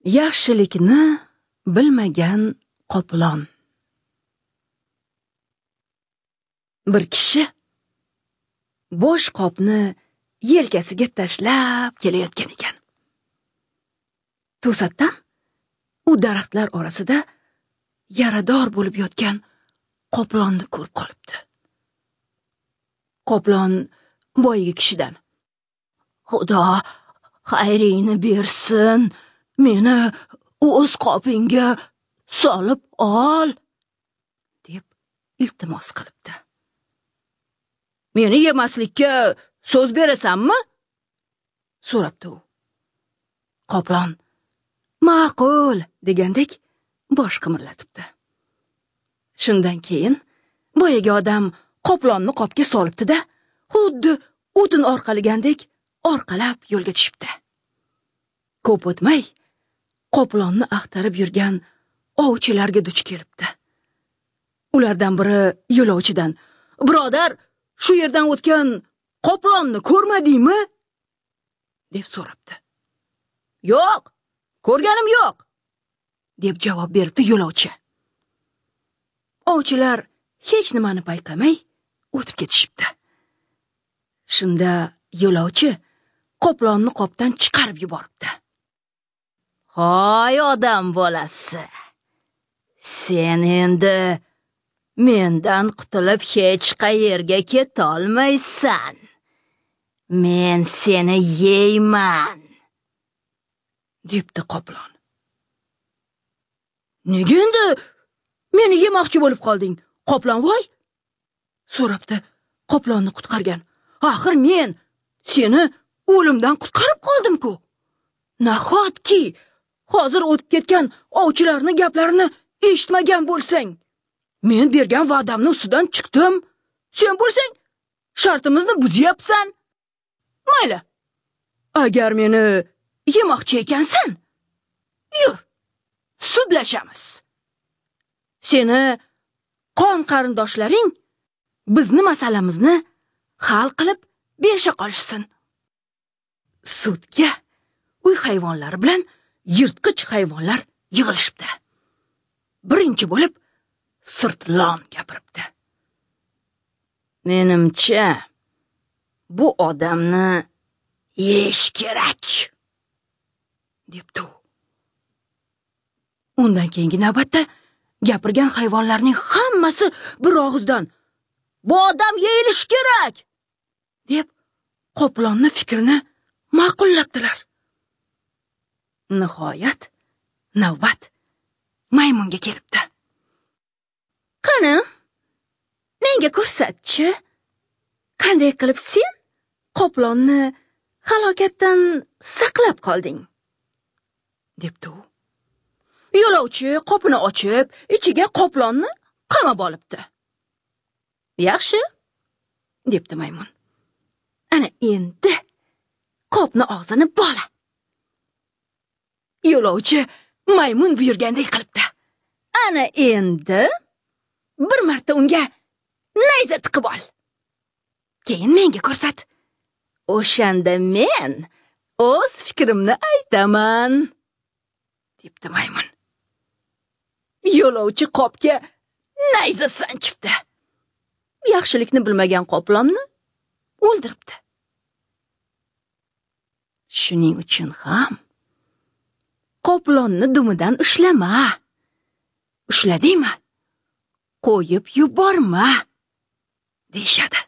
Yaxshilikni bilmagan qoplon. Bir kishi bo'sh qopni yelkasiga tashlab kelayotgan ekan. To'satdan u daraxtlar orasida yarador bo'lib yotgan qoplonni ko'rib qolibdi. Qoplon boyagi kishidan: "Xudo xayringni bersin, meni o'z qopingga solib ol", deb iltimos qilibdi. "Meni yemaslikka so'z berasanmi?" so'rabdi u. Qoplon ma'qul degandek bosh qimirlatibdi. Shundan keyin boyagi odam qoplonni qopga solibdi-da, xuddi o'tin orqalagandek orqalab yo'lga tushibdi. Ko'p o'tmay qoplonni axtarib yurgan ovchilarga duch kelibdi. Ulardan biri yo'lovchidan: "Birodar, shu yerdan o'tgan qoplonni ko'rmadingmi?" deb so'rabdi. "Yo'q, ko'rganim yo'q", deb javob beribdi yo'lovchi. Ovchilar hech nimani payqamay o'tib ketishibdi. Shunda yo'lovchi qoplonni qopdan chiqarib yuboribdi. "Hoy odam bolasi, sen endi mendan qutulib hech qayerga ketolmaysan. Men seni yeyman", debdi qoplon. "Nega endi meni yemoqchi bo'lib qolding, qoplon voy?" so'rabdi qoplonni qutqargan. "Axir men seni o'limdan qutqarib qoldim-ku. Nahotki hozir o'tib ketgan ovchilarning gaplarini eshitmagan bo'lsang? Men bergan va'damni ustidan chiqdim. Sen bo'lsang shartimizni buzyapsan. Mayli, agar meni yemoqchi ekansan, yur, sudlashamiz. Seni qon qarindoshlaring bizni masalamizni hal qilib berisha qolishsin." Sudga uy hayvonlari bilan yirtqich hayvonlar yig'ilishibdi. Birinchi bo'lib sirtlon gapiribdi. "Menimcha, bu odamni yeyish kerak", debdi u. Undan keyingi navbatda gapirgan hayvonlarning hammasi bir og'izdan: "Bu odam yeyilishi kerak", deb qoplonni fikrini ma'qullabdilar. Nihoyat navbat maymunga kelibdi. "Qani, menga ko'rsatchi, qanday qilib sen qoplonni halokatdan saqlab qolding?" debdi u. Yo'lovchi qopini ochib, ichiga qoplonni qamab olibdi. "Yaxshi", debdi maymun. "Ana endi qopni og'zini bola." Yo'lovchi maymun buyurgandek qilibdi. "Ana endi bir marta unga nayza tiqib ol. Keyin menga ko'rsat. O'shanda men o'z fikrimni aytaman", debdi maymun. Yo'lovchi qopga nayza sanchibdi. Yaxshilikni bilmagan qoplonni o'ldiribdi. Shuning uchun ham qoplonni dumidan ushlama. Ushladingmi, qo'yib yuborma, deyishadi.